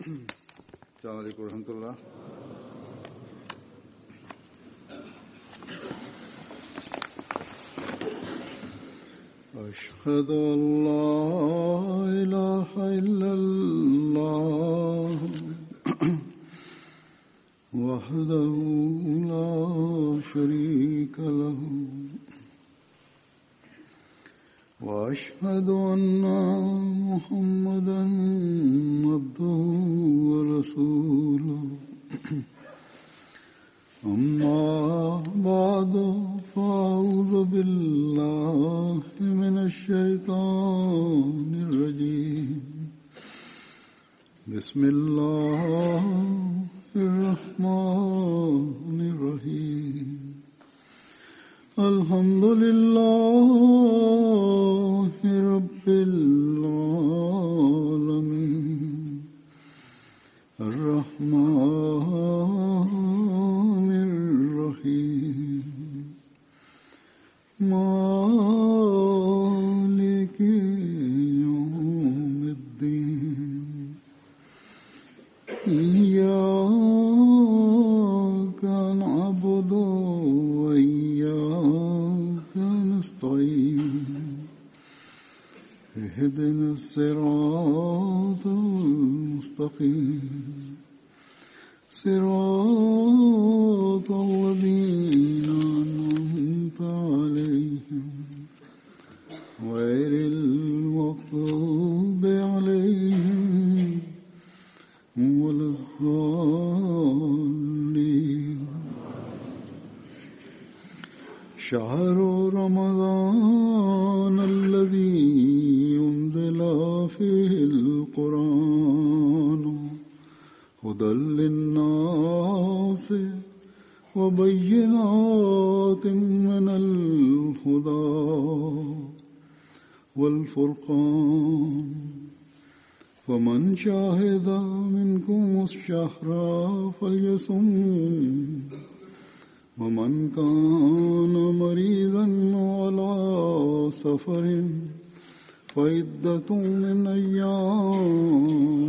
السلام عليكم ورحمة الله. أشهد أن لا إله إلا الله وحده لا شريك له وأشهد أن محمدا عبده ورسوله أما بعد فأعوذ بالله من الشيطان الرجيم بسم الله الرحمن الرحيم الحمد لله رب العالمين الرحمن الرحيم مالك يوم الدين إياك نعبد وإياك نستعين اهدنا الصراط المستقيم صراط الذين أنعمت عليهم غير المغضوب عليهم ولا الضالين. شهر رمضان الذي أنزل فيه القرآن هدى للناس وبينات من الهدى والفرقان فمن شاهد منكم الشهر فليصم ومن كان مريضا على سفر فعدة من أيام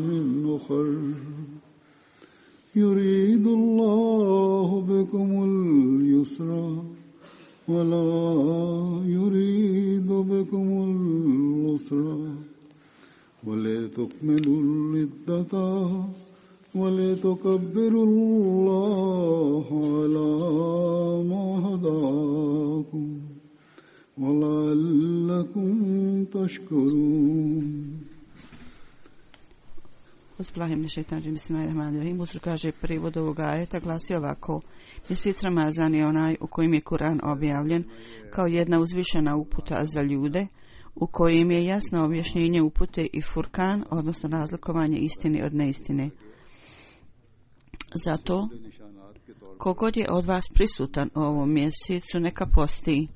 أخر يريد الله بكم اليسر ولا يريد بكم العسر ولتكملوا العدة ولتكبروا الله على ما هداكم ولعلكم تشكرون. Bismillahirrahmanirrahim. Uzur kaže prevod ovog ajeta glasi ovako: Mjesec Ramazan je onaj u kojem je Kur'an objavljen kao jedna uzvišena uputa za ljude, u kojem je jasno objašnjenje upute i furkan, odnosno razlikovanje istine od neistine. Zato, kogod je od vas prisutan u ovom mjesecu, neka posti.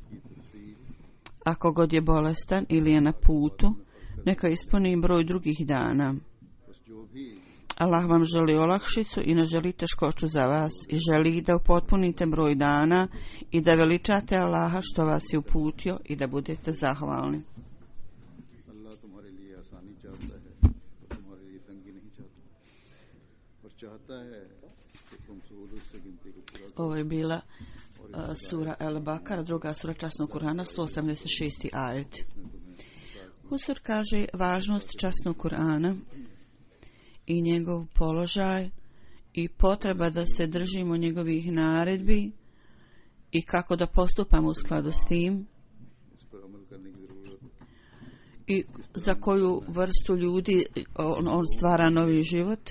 A kogod je bolestan ili je na putu, neka ispuni broj drugih dana. Allah vam želi olakšicu i ne želi teškoću za vas i želi da upotpunite broj dana i da veličate Allaha što vas je uputio i da budete zahvalni. Ovo je bila sura El-Bakara, druga sura časnog Kur'ana, 186. ajet. Husur kaže važnost časnog Kur'ana i njegov položaj i potreba da se držimo njegovih naredbi i kako da postupamo u skladu s tim i za koju vrstu ljudi on stvara novi život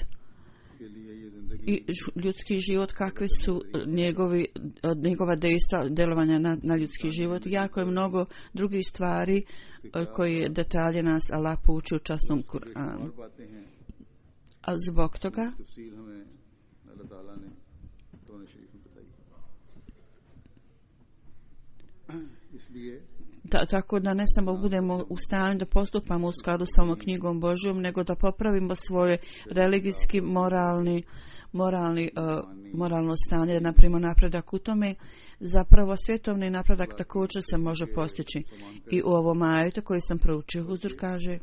i ljudski život, kakve su njegova dejstva, delovanja na ljudski život. Jako je mnogo drugih stvari koje detalje nas Allah pouči u časnom Kur'anu. A zbog toga tako da ne samo budemo u stanju da postupamo u skladu sa ovom knjigom Božjom, nego da popravimo svoje religijski, moralno stanje, napravimo napredak u tome. Zapravo svjetovni napredak također se može postići. I u ovom ajetu koji sam proučio, Huzur kaže: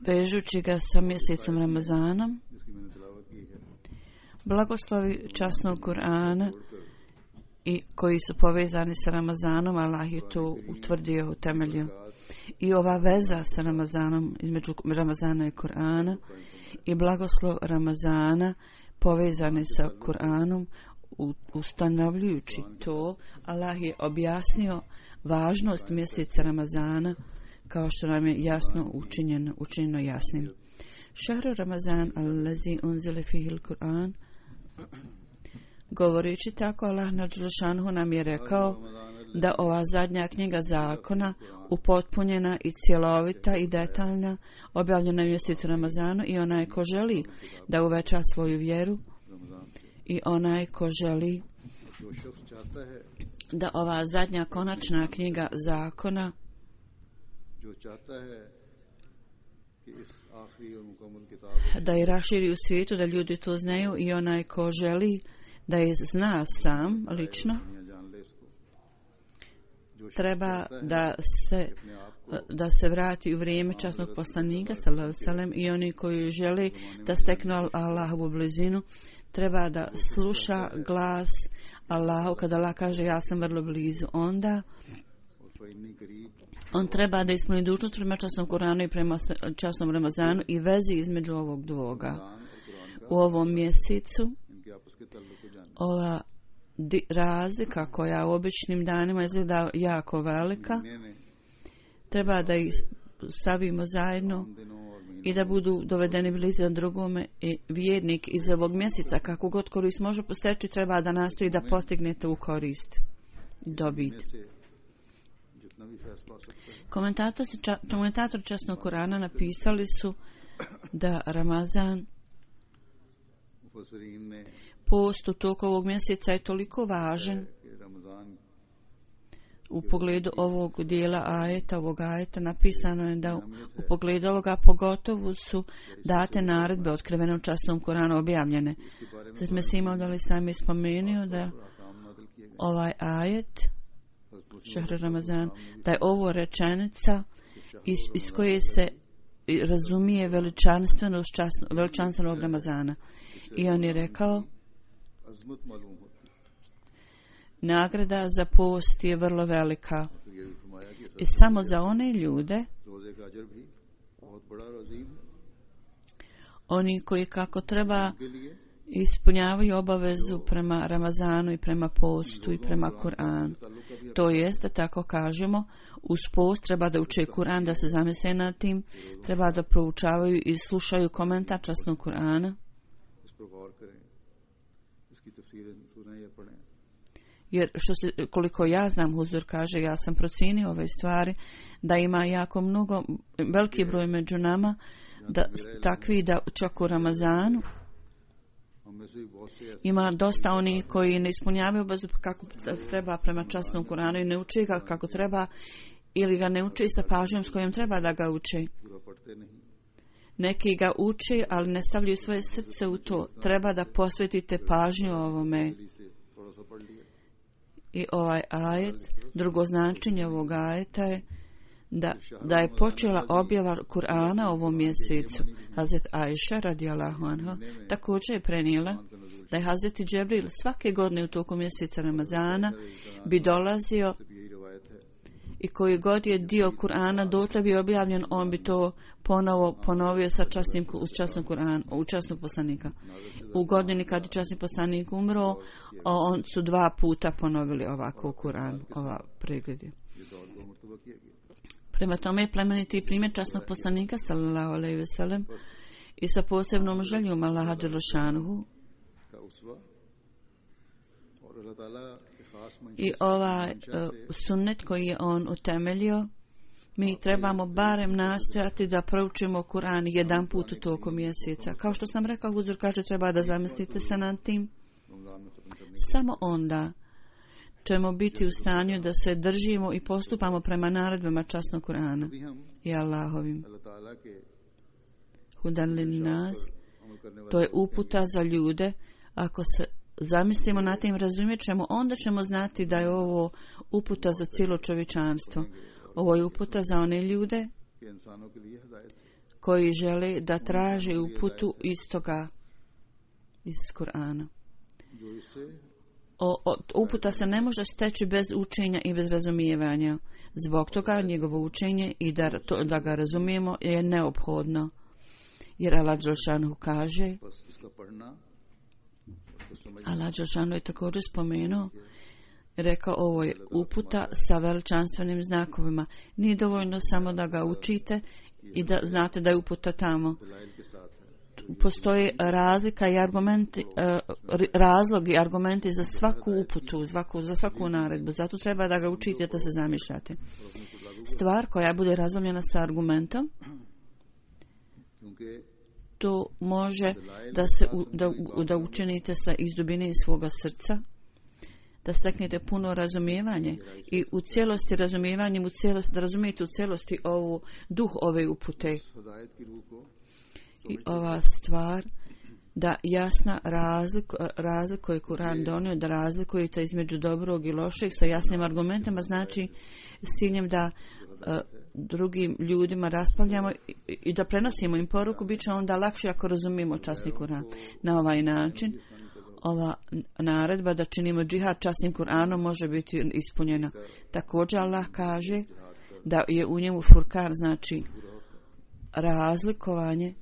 vežući ga sa mjesecom Ramazanom. जिसकी मैंने तिलावत की है, Blagoslovi časnog Kur'ana i koji su povezani sa Ramazanom, Allah je to utvrdio, utemeljio. I ova veza sa Ramazanom, između Ramazana i Kur'ana, i blagoslov Ramazana povezani sa Kur'anom, ustanovljujući to, Allah je objasnio važnost mjeseca Ramazana, kao što nam je jasno učinjeno jasnim. Šahru Ramazan allazi unzile fihil Kur'an. Govoreći tako, Allah nadželšanhu nam je rekao da ova zadnja knjiga zakona, upotpunjena i cjelovita i detaljna, objavljena u mjesecu Ramazanu, i onaj ko želi da uveća svoju vjeru i onaj ko želi जो शख्स चाहता है, da ova zadnja konačna knjiga zakona जो चाहता है कि इस आखिरी और मुकम्मल किताब da je raširi u svijetu, da ljudi to znaju, i onaj ko želi da je zna sam lično, दुनिया जान ले इसको, जो शख्स treba चाहता है da se vrati u vrijeme časnog poslanika sallallahu alejhi ve sellem, i oni koji žele da steknu Allahovu blizinu treba da sluša glas Allahu kada Allah kaže ja sam vrlo blizu. Onda और फ़इन्नी करीब on treba da ispuni dužnost prema časnom Kuranu i prema časnom Ramazanu i vezi između ovog dvoga. Quran और Quran U ovom mjesecu इनके आपस के ताल्लुक को जाने, ova razlika koja u običnim danima izgleda jako velika, मैंने treba da ih stavimo zajedno इन दिनों और महीनों i da budu dovedeni blizu drugome, i vjernik iz ovog mjeseca kako god korist može posteći treba da nastoji da postignete u korist i dobit. में से जितना भी फैज पा सकता है, Komentatori časnog Kurana napisali su da Ramazan, मुफस्सिरीन ने post u toku ovog mjeseca je toliko važan कि Ramzan u pogledu ovog dijela ajeta, ovog ajeta napisano je da u pogledu ovoga pogotovo su date naredbe otkrivene u časnom Kuranu objavljene. के बारे में Zato Mesih Maud al-Islam je spomenuo da अहकाम नाज़िल किए गए। ovaj ajet हज़रत Šahru Ramazan, da je ovo rečenica iz koje se razumije veličanstvenog Ramazana. I on je rekao, अज़मत मालूम होती है। nagrada za post je vrlo velika तो ये भी फरमाया कि i samo za one ljude, रोज़े का अजर भी बहुत बड़ा और अजीम है, oni koji kako treba के लिए ispunjavaju obavezu prema Ramazanu i prema postu i prema Kur'anu. ताल्लुक का भी To jest, da tako kažemo, uz post treba da uče Kur'an, da se zamisle nad tim, treba da proučavaju i slušaju komentar časnog Kur'ana, इस पर गौर करें, इसकी तफसीरें सुनें या पढ़ें। jer koliko ja znam, Huzur kaže, ja sam procijenio ove stvari, da ima jako mnogo, veliki broj među nama, da takvi da čak u Ramazanu हम में से भी बहुत से ऐसे ima dosta onih koji ne ispunjavaju obavezu kako treba prema časnom Kuranu i ne uči ga kako treba, ili ga ne uči sa pažnjom s kojom treba da ga uči. पूरा पढ़ते नहीं, Neki ga uči, ali ne stavljaju svoje srce u to. Treba da posvetite pažnju ovome. दिली से थोड़ा सा पढ़ लिया, I ovaj ajet, drugo značenje ovog ajeta je da je počela objava Kur'ana ovom mjesecu. Hazret Ajša radijallahu anha također je prenijela da je Hazreti Džibril svake godine u toku mjeseca Ramazana bi dolazio भी यही रिवायत है। i koji god je dio Kur'ana dotle bi objavljen, on bi to ponovio sa časnog Kur'ana, u časnog poslanika. U godini kad je časni poslanik umro, on su 2 puta ponovili ovako u Kur'anu, ova pregled je. ये दौर को मर्तबा किया गया। Prema tome je plemeniti primjer časnog poslanika sallallahu alejhi ve sellem i sa posebnom željom Allaha dželešanuhu का उसवा और अल्लाह ताला के खास मंशा i ovaj sunnet koji je on utemeljio, mi trebamo barem nastojati da proučimo Kur'an jedan put u toku mjeseca. Kao što sam rekao, Huzur kaže treba da zamislite se nad tim. Ramzan में खत्म करने Samo onda ćemo biti u stanju da se držimo i postupamo prema naredbama časnog Kur'ana भी हम i Allahovim. अल्लाह ताला के Hudan lin nas, अमल करने वाले to je uputa za ljude. Ako se zamislimo na tim, razumjet ćemo, onda ćemo znati da je ovo uputa za cijelo čovječanstvo. Ovo je uputa za one ljude के इंसानों के लिए हिदायत है। koji žele da traže uputu iz Kur'ana. Uputa se ne može steći bez učenja i bez razumijevanja. Zbog toga njegovo učenje i da ga razumijemo je neophodno. Jer Allah Đelešanu kaže, Allah Đelešanu je također spomenuo, rekao, ovo je uputa sa veličanstvenim znakovima. Nije dovoljno samo da ga učite i da znate da je uputa tamo. Postoji razlika i argumenti, razlog i argumenti za svaku uputu, za svaku naredbu. Zato treba da ga učite, da se zamišljate. Stvar koja bude razumljena sa argumentom, to može da učinite iz dubine svoga srca, da steknete puno razumijevanje i u cijelosti razumijevanjem, da razumijete u cijelosti duh ove upute. I ova stvar da jasna razlikuje Kur'an donio, da razlikujete između dobrog i lošeg sa jasnim argumentima, znači s ciljem da drugim ljudima raspravljamo i da prenosimo im poruku, bit će onda lakše ako razumijemo časni Kur'an. Na ovaj način ova naredba da činimo džihad časnim Kur'anom može biti ispunjena. Također Allah kaže da je u njemu furkan, znači razlikovanje.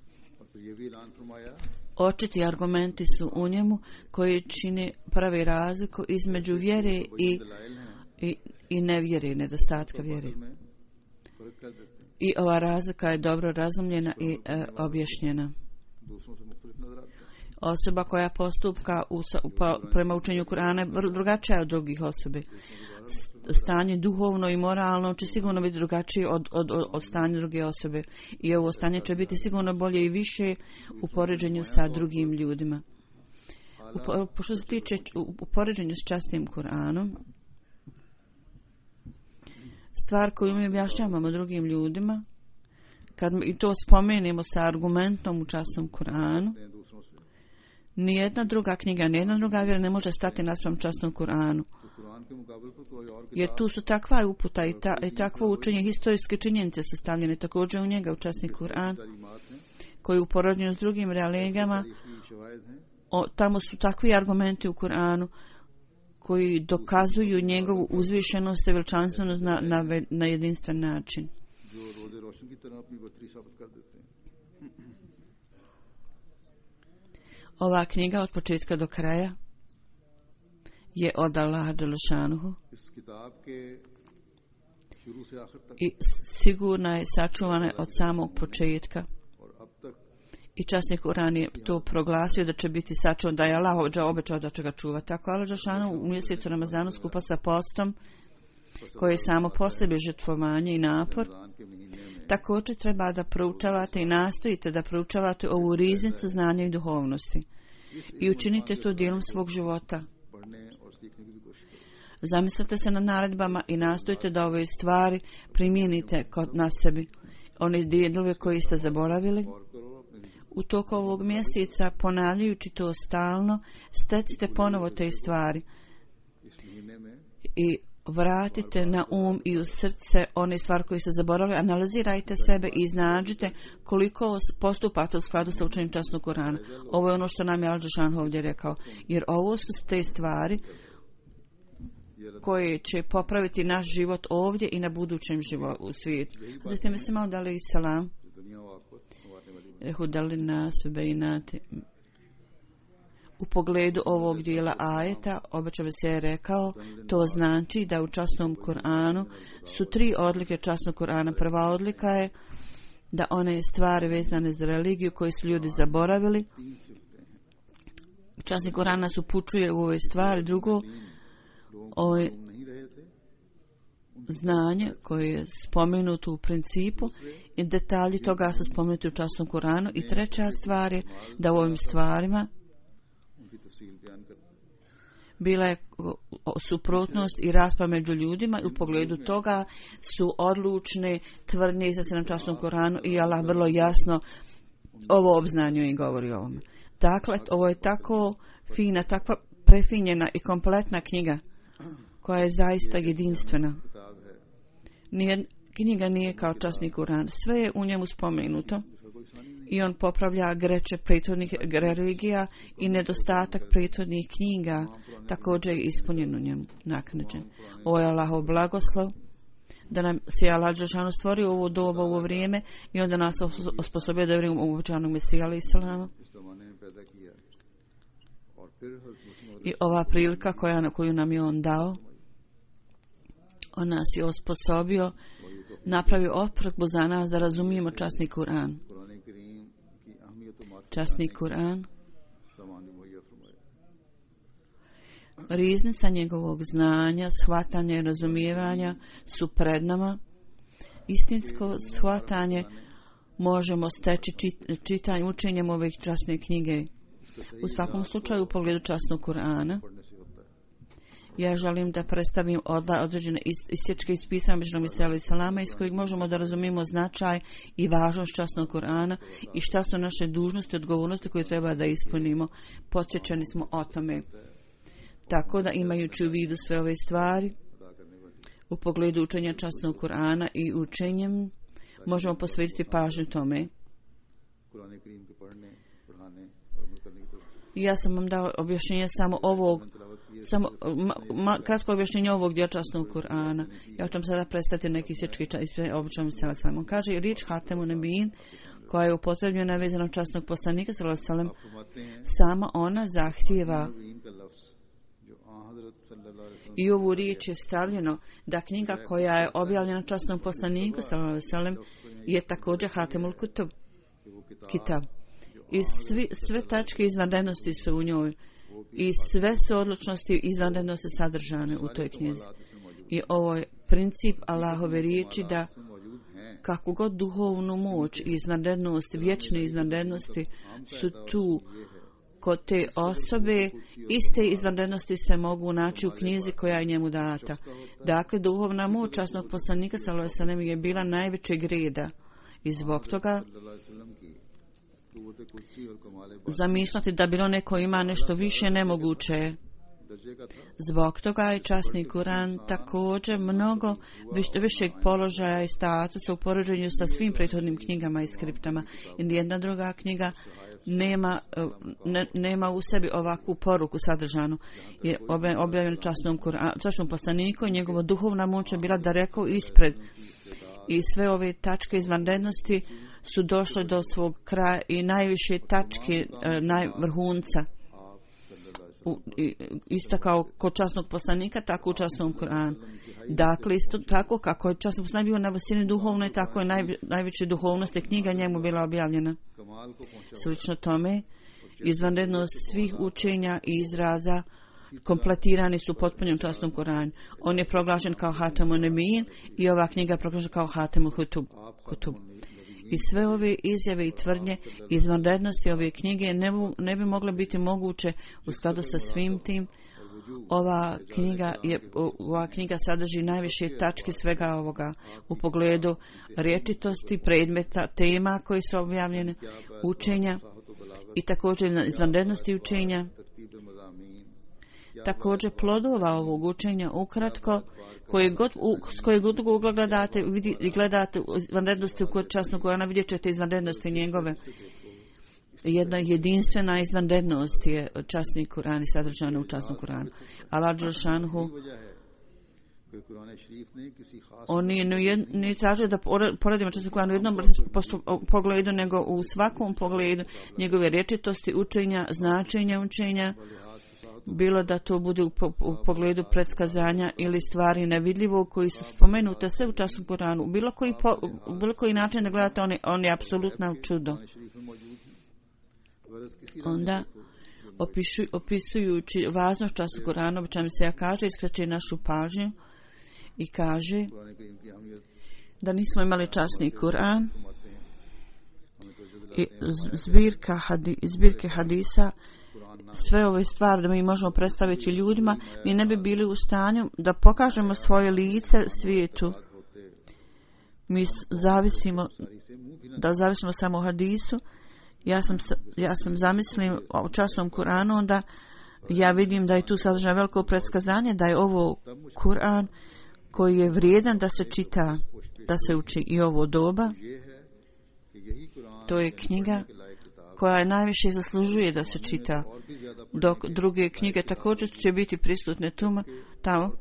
Očiti argumenti su u njemu koji čine pravi razliku između vjere i nevjere, nedostatka vjere. I ova razlika je dobro razumljena i objašnjena. Osoba koja postupka prema učenju Kur'ana je drugačija od drugih osobe. Stanje duhovno i moralno će sigurno biti drugačije od stanja druge osobe. I ovo stanje će biti sigurno bolje i više u poređenju sa drugim ljudima. Što se tiče u poređenju s časnim Kur'anom, stvar koju mi objašnjavamo drugim ljudima, kad i to spomenemo sa argumentom u časnom Kur'anu, nijedna druga knjiga, nijedna druga vjera ne može stati naspram časnom Kur'anu. Jer tu su takva uputa i takvo učenje, historijske činjenice sastavljene također u njega, u časni Kur'an, koji u poređenju s drugim religijama, tamo su takvi argumenti u Kur'anu koji dokazuju njegovu uzvišenost i veličanstvenost na jedinstven način. Ova knjiga od početka do kraja je od Allaha Đelešanuhu i sigurna je sačuvana od samog početka. I časni Kur'an je to proglasio da će biti sačuvan, da je Allah obećao da će ga čuvati. Tako Allah Đelešanuhu u mjesecu Ramazanu skupa sa postom, koji je samo po sebi žrtvovanje i napor, također treba da proučavate i nastojite da proučavate ovu riznicu znanja i duhovnosti i učinite to dijelom svog života. Zamislite se nad naredbama i nastojite da ove stvari primijenite na sebi. One dijelove koje ste zaboravili, u toku ovog mjeseca, ponavljajući to stalno, stecite ponovo te stvari i vratite na i u srce one stvari koje ste zaboravili, analizirajte sebe i iznađite koliko postupate u skladu sa učenjem časnog Kur'ana. Ovo je ono što nam je Al-Đelešan ovdje rekao, jer ovo su te stvari koje će popraviti naš život ovdje i na budućem životu u svijetu. Zatim se malo dali salam. Hudali nas bejnati. U pogledu ovog dijela ajeta, obećao se je rekao, to znači da u časnom Kur'anu su 3 odlike časnog Kur'ana. Prva odlika je da one stvari vezane za religiju koje su ljudi zaboravili. Časni Kur'an nas upućuje u ove stvari. Drugo, ovo je znanje koje je spomenuto u principu i detalji toga su spomenuti u časnom Kur'anu. I treća stvar je da u ovim stvarima bila je suprotnost i rasprava među ljudima i u pogledu toga su odlučne tvrdnje iznese na časnom Kur'anu i Allah vrlo jasno ovo obznanjuje i govori o ovome. Dakle, ovo je tako fina, takva prefinjena i kompletna knjiga koja je zaista jedinstvena. knjiga nije kao časni Kuran. Sve je u njemu spomenuto i on popravlja greče prethodnih religija i nedostatak prethodnih knjiga također je ispunjen u njemu, naknadžen. Ovo je Allahov blagoslov da nam se Allah dželešanu stvorio ovo doba, ovo vrijeme i onda nas osposobio da vjerujemo u obećanog Mesija alejhi selam. I ova prilika koju nam je on dao, on nas je osposobio, napravio oprkbu za nas da razumijemo časni Kur'an. Časni Kur'an, riznica njegovog znanja, shvatanja i razumijevanja su pred nama. Istinsko shvatanje možemo steći čitanjem, učenjem ove časne knjige. U svakom slučaju u pogledu časnog Kur'ana ja želim da predstavim određene isječke iz pisama Međunog Mesija alejhi selama iz kojeg možemo da razumijemo značaj i važnost časnog Kur'ana i šta su naše dužnosti i odgovornosti koje treba da ispunimo. Podsjećani smo o tome. Tako da imajući u vidu sve ove stvari u pogledu učenja časnog Kur'ana i učenjem možemo posvetiti pažnju tome. Ja sam vam dao objašnjenje samo ovog, kratko objašnjenje ovog dijela časnog Kur'ana. Ja ću vam sada predstaviti neki sječki običan sallallahu. On kaže riječ Hatemun Nebijin koja je upotrebljena vezano časnog poslanika sallallahu, sama ona zahtijeva i ovu riječ je stavljeno da knjiga koja je objavljena časnom poslaniku sallallahu je također Hatemul Kutub, kitab. I sve tačke izvanrednosti su u njoj i sve su odlučnosti izvanrednosti sadržane u toj knjizi. I ovo je princip Allahove riječi da kako god duhovnu moć i izvanrednost, vječne izvanrednosti su tu kod te osobe, iste izvanrednosti se mogu naći u knjizi koja je njemu data. Dakle, duhovna moć časnog poslanika sallallahu alejhi ve sellem je bila najvećeg reda i zbog toga zamišljati da bilo neko ima nešto više nemoguće. Zbog toga je časni Kur'an također mnogo višeg položaja i statusa u poređenju sa svim prethodnim knjigama i skriptama. I nijedna druga knjiga nema u sebi ovakvu poruku sadržanu. Je objavljen časnom poslaniku i njegova duhovna moć je bila daleko ispred. I sve ove tačke izvanrednosti su došle do svog kraja i najviše tačke vrhunca. Isto kao kod časnog poslanika, tako u časnom Kur'anu. Dakle, isto tako kako je časni poslanik bio na visini duhovne, tako je najveće duhovnosti knjiga njemu bila objavljena. Slično tome, izvanrednost svih učenja i izraza kompletirani su potpunim časnom Kur'anu. On je proglašen kao Hatemun Nebijin i ova knjiga je proglašena kao Hatemul Kutub. I sve ove izjave i tvrdnje izvanrednosti ove knjige ne bi mogle biti moguće u skladu sa svim tim. Ova knjiga sadrži najviše tačke svega ovoga u pogledu rječitosti, predmeta, tema koji su objavljene, učenja i također izvanrednosti učenja. Također plodova ovog učenja ukratko s koje god ugla gledate izvanrednosti u časnog Kur'ana, vidjet ćete izvanrednosti njegove. Jedna jedinstvena izvanrednost je časni Kur'an i sadržana u časnom Kur'anu. Allah dželešanu on nije tražio da poredimo časni Kur'an u jednom pogledu, nego u svakom pogledu njegove rječitosti, učenja, značenja učenja, bilo da to bude u pogledu predskazanja ili stvari nevidljivog koji su spomenute sve u časnom Kur'anu. Bilo koji način da gledate, on je apsolutno čudo. Onda, opisujući važnost časa Kur'ana, obično se ja kaže, iskreće našu pažnju i kaže da nismo imali časni Kur'an i zbirke hadisa, sve ove stvari da mi možemo predstaviti ljudima, mi ne bi bili u stanju da pokažemo svoje lice svijetu. Mi zavisimo samo o hadisu. Ja sam zamislim o časnom Kur'anu, onda ja vidim da je tu sadržano veliko predskazanje, da je ovo Kur'an koji je vrijedan da se čita. da se uči i ovo doba. To je knjiga koja je najviše zaslužuje da se čita, dok druge knjige također će biti prisutne tamo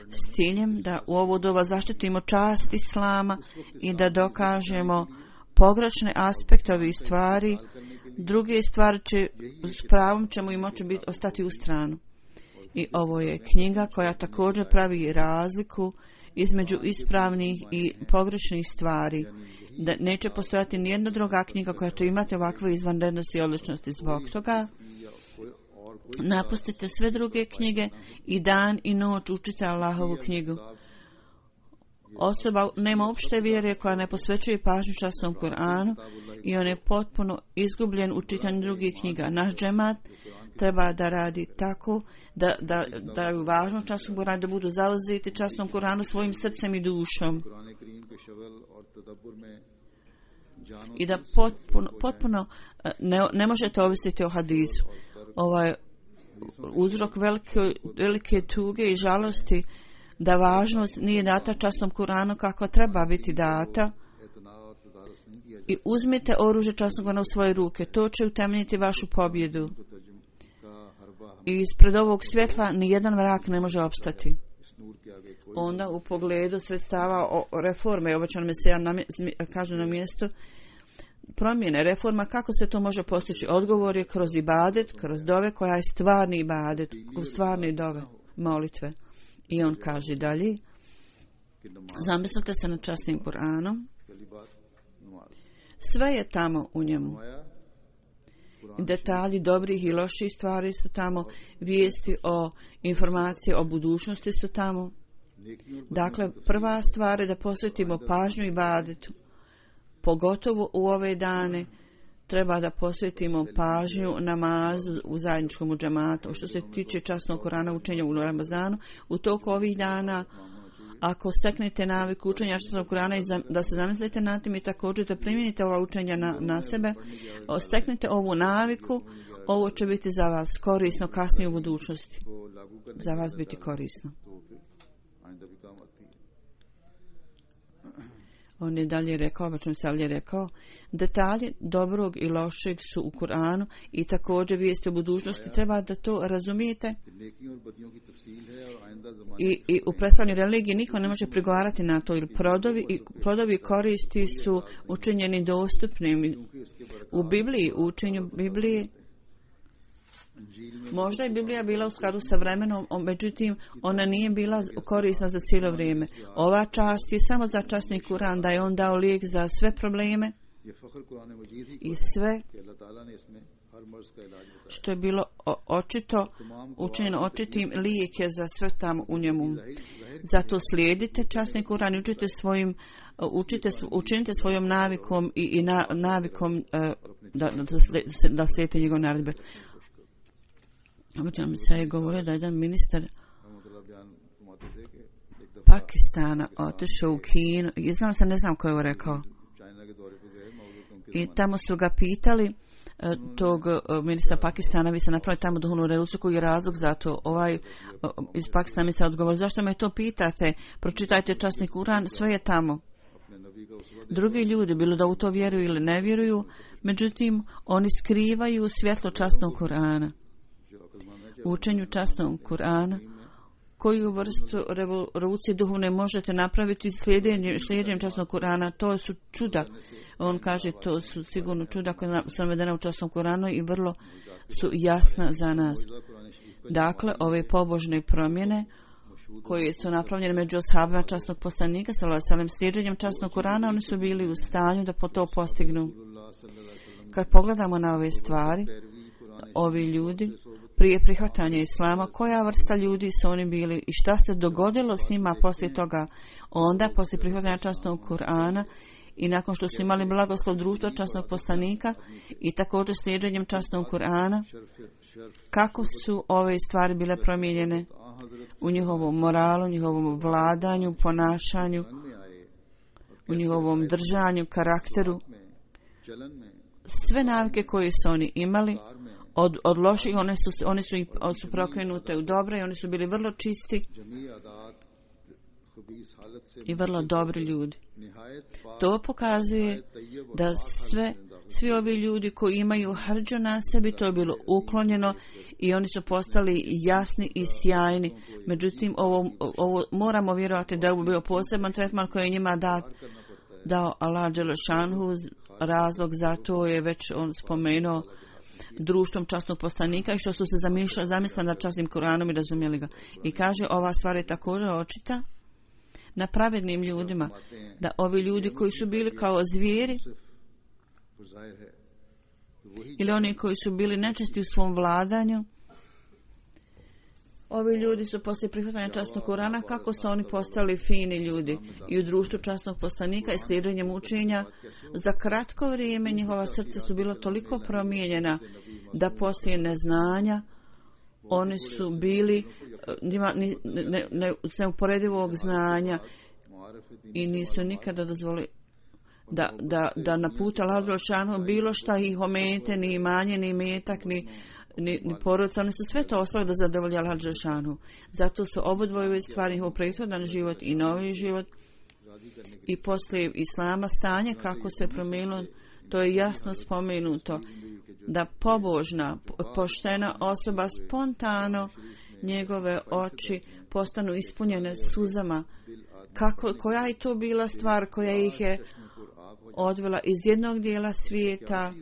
s ciljem da u ovo doba zaštitimo čast Islama i da dokažemo pogrešne aspekte ovih stvari. Druge stvari s pravom ćemo i moći ostati u stranu. I ovo je knjiga koja također pravi razliku između ispravnih i pogrešnih stvari. Da neće postojati nijedna druga knjiga koja će imati ovakve izvanrednosti i odličnosti. Zbog toga napustite sve druge knjige i dan i noć učite Allahovu knjigu. Osoba nema opšte vjere koja ne posvećuje pažnju časnom Kur'anu i on je potpuno izgubljen u čitanju drugih knjiga. Naš džemat treba da radi tako da je važno časnom Kur'anu, da budu zauzeti časnom Kur'anu svojim srcem i dušom. I da potpuno ne možete ovisiti o hadisu. Ovaj uzrok velike tuge i žalosti da važnost nije data časnom Kur'anu kako treba biti data. I uzmite oružje časnog Kur'ana u svoje ruke. To će utemeljiti vašu pobjedu. I ispred ovog svjetla nijedan vrak ne može opstati. Onda u pogledu sredstava reforme, obećano Mesija kaže na mjestu, promjene reforma, kako se to može postići? Odgovor je kroz ibadet, kroz dove koja je stvarni ibadet, stvarni dove, molitve. I on kaže dalje, zamislite se nad časnim Kur'anom, sve je tamo u njemu. Detalji dobrih i loših stvari su tamo, vijesti o informacije o budućnosti su tamo. Dakle, prva stvar je da posvetimo pažnju ibadetu. Pogotovo u ove dane treba da posvetimo pažnju namazu u zajedničkom džematu. Što se tiče časnog Kur'ana učenja u Ramazanu, u toku ovih dana, ako steknete naviku učenja časnog Kur'ana i da se zamislite na tim i također da primijenite ova učenja na sebe, steknete ovu naviku, ovo će biti za vas korisno kasnije u budućnosti. Za vas biti korisno. On je dalje rekao, detalji dobrog i lošeg su u Kur'anu i također vijesti o budućnosti. Treba da to razumijete. I u predstavljanju religije niko ne može prigovarati na to, jer plodovi koristi su učinjeni dostupnim. U Bibliji, u učenju Biblije, možda je Biblija bila u skladu sa vremenom, međutim ona nije bila korisna za cijelo vrijeme. Ova čast je samo za časni Kur'an, da je on dao lijek za sve probleme i sve što je bilo očito, učinjeno očitim, lijek je za sve tamo u njemu. Zato slijedite časni Kur'an i učinite svojom navikom i navikom da slijedite njegove naredbe. Obično mi se je govorio da jedan ministar Pakistana otišao u Kinu. Ne znam ko je ovo rekao. I tamo su ga pitali, tog ministra Pakistana, vi ste napravili tamo duhovnu revoluciju, koji je razlog za to. Iz Pakistana mi se odgovorio, zašto me to pitate? Pročitajte časni Kur'an, sve je tamo. Drugi ljudi, bilo da u to vjeruju ili ne vjeruju, međutim, oni skrivaju svjetlo časnog Kur'ana. U učenju časnog Kur'ana, koju vrstu revolucije duhovne možete napraviti slijedjenjem časnog Kur'ana, to su čuda. On kaže, to su sigurno čuda koja su navedena u časnom Kur'anu i vrlo su jasna za nas. Dakle, ove pobožne promjene koje su napravljene među ashabima časnog poslanika, slijedjenjem časnog Kur'ana, oni su bili u stanju da to postignu. Kad pogledamo na ove stvari, ovi ljudi, prije prihvatanja Islama, koja vrsta ljudi su oni bili i šta se dogodilo s njima poslije toga, onda poslije prihvatanja časnog Kur'ana i nakon što su imali blagoslov društva časnog poslanika i također slijedženjem časnog Kur'ana, kako su ove stvari bile promijenjene u njihovom moralu, njihovom vladanju, ponašanju, u njihovom držanju, karakteru. Sve navike koje su oni imali od loših, one su prokrenute u dobre i oni su bili vrlo čisti. i vrlo dobri ljudi. To pokazuje da svi ovi ljudi koji imaju hrđu na sebi, to je bilo uklonjeno i oni su postali jasni i sjajni. Međutim, ovo moramo vjerovati da je ovo bio poseban tretman koji je njima dao Allah dželešanhu. Razlog za to je već on spomenuo društvom časnog poslanika i što su se zamislili nad časnim Kuranom i razumjeli ga. I kaže, ova stvar je također očita na pravednim ljudima, da ovi ljudi koji su bili kao zvijeri ili oni koji su bili nečesti u svom vladanju, ovi ljudi su poslije prihvatanja časnog Kurana, kako su oni postali fini ljudi i u društvu časnog poslanika i slijedženjem učenja. Za kratko vrijeme njihova srca su bila toliko promijenjena da poslije neznanja oni su bili neuporedivog znanja i nisu nikada dozvolili da na putu Allahu dželešanu bilo šta ih omete, ni imanje, ni imetak, ni porodica. Oni su sve to ostavili da zadovolje Allahu dželešanu. Zato su obodvoje stvari, njihov prethodan život i novi život i poslije islama stanje kako se promijenilo. To je jasno spomenuto da pobožna, poštena osoba spontano njegove oči postanu ispunjene suzama. Koja je to bila stvar koja ih je odvela iz jednog dijela svijeta,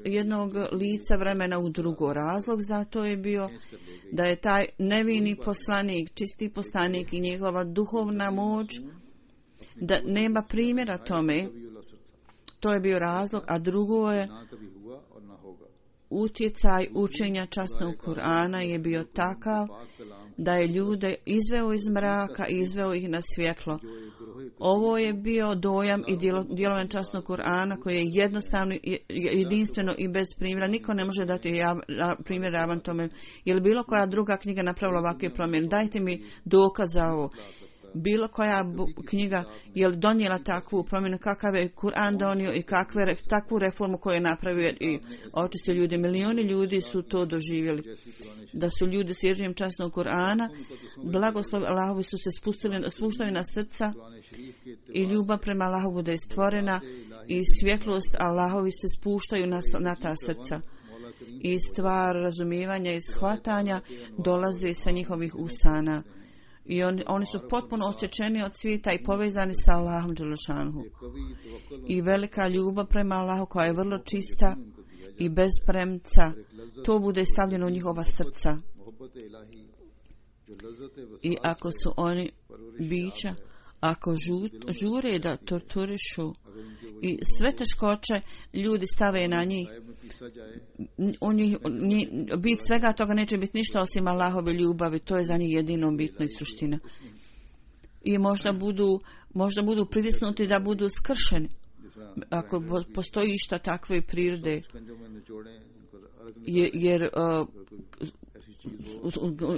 jednog lica vremena u drugo. Razlog za to je bio da je taj nevini poslanik, čisti poslanik i njegova duhovna moć, da nema primjera tome. To je bio razlog, a drugo je utjecaj učenja časnog Kur'ana je bio takav da je ljude izveo iz mraka i izveo ih na svjetlo. Ovo je bio dojam i djelovanje časnog Kur'ana koji je jednostavno, jedinstveno i bez primjera. Niko ne može dati primjer ravan tome. Je li bilo koja druga knjiga napravila ovakve promjene? Dajte mi dokaz za ovo. Bilo koja knjiga je li donijela takvu promjenu, kakav je Kur'an donio i takvu reformu koju je napravio i očistio ljudi. Milioni ljudi su to doživjeli. Da su ljudi s ježnjem časnog Kur'ana, blagoslovi Allahovi su se spuštali na srca i ljubav prema Allahu bude stvorena i svjetlost Allahovi se spuštaju na ta srca. I stvar razumijevanja i shvatanja dolazi sa njihovih usana. I oni su potpuno osjećeni od svijeta i povezani sa Allahom dželešanhu. I velika ljubav prema Allahu koja je vrlo čista i bez premca, to bude stavljeno u njihova srca. I ako su oni bića, ako žure da torturišu i sve teškoće ljudi stave na njih, bit svega toga neće biti ništa osim Allahove ljubavi. To je za njih jedino bitno i suština. I možda budu pritisnuti da budu skršeni ako postoji išta takve prirode, jer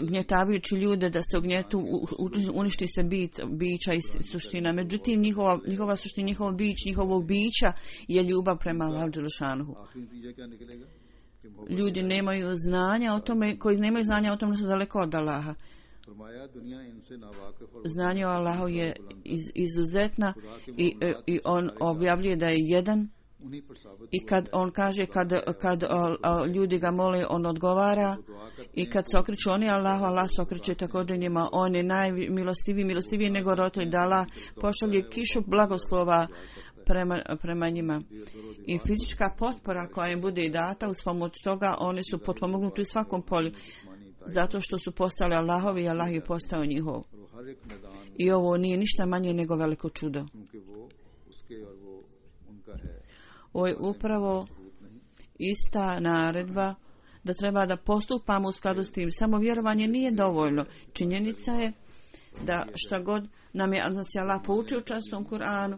gnjetavajući ljude da se ugnjetu, uništi se bića i suština. Međutim, njihova suština, njihovog bića je ljubav prema Allahu dželešanuhu. Ljudi nemaju znanja o tome, koji nemaju znanja o tome su daleko od Allaha. Znanje o Allahu je izuzetna i on objavljuje da je jedan. I kad on kaže, kad ljudi ga mole, on odgovara. I kad se okreću oni Allahu, Allah se okreće također njima. On je milostiviji nego roditelj, da Allah pošalje kišu blagoslova prema njima. I fizička potpora koja im bude data, uz pomoć toga oni su potpomognuti u svakom polju. Zato što su postali Allahovi i Allah je postao njihov. I ovo nije ništa manje nego veliko čudo. Ovo je upravo ista naredba da treba da postupamo u skladu s tim. Samo vjerovanje nije dovoljno. Činjenica je da šta god nam je Allah poučio u časnom Kur'anu,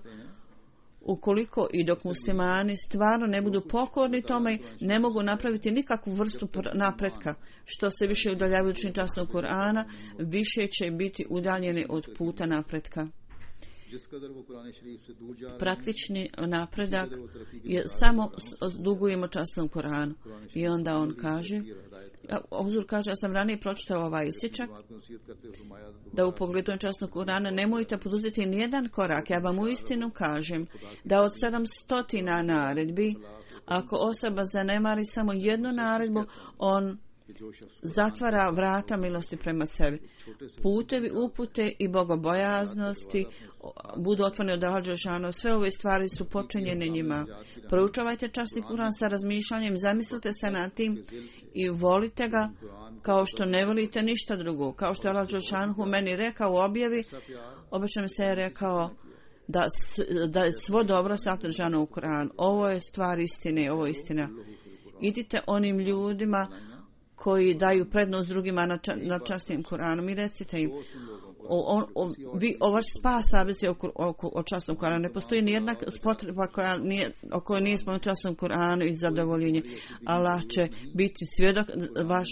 ukoliko i dok muslimani stvarno ne budu pokorni tome, ne mogu napraviti nikakvu vrstu napretka. Što se više udaljavaju od časnog Kur'ana, više će biti udaljeni od puta napretka. praktični napredak je samo dugujemo časnom Kuranu. I onda on kaže, Huzur kaže, ja sam ranije pročitao ovaj isječak, da u pogledu časnog Kurana nemojte poduzeti nijedan korak. Ja vam uistinu kažem da od 700 naredbi, ako osoba zanemari samo jednu naredbu, on zatvara vrata milosti prema sebi. Putevi upute i bogobojaznosti budu otvoreni od Allaha dželešanu. Sve ove stvari su počinjene njima. Proučavajte časni Kuran sa razmišljanjem, zamislite se nad tim i volite ga kao što ne volite ništa drugo. Kao što je Allah dželešanu meni rekao u objavi, obično mi se je rekao da je svo dobro sadržano u Kuranu. Ovo je stvar istine, ovo je istina. Idite onim ljudima koji daju prednost drugima na časnim Kuranom i recite im, vaš spas zavisi o časnom Kuranu. Ne postoji nijedna potreba o kojoj nije spomenuti časnom Kuranu i zadovoljenje. Allah će biti svjedok vaš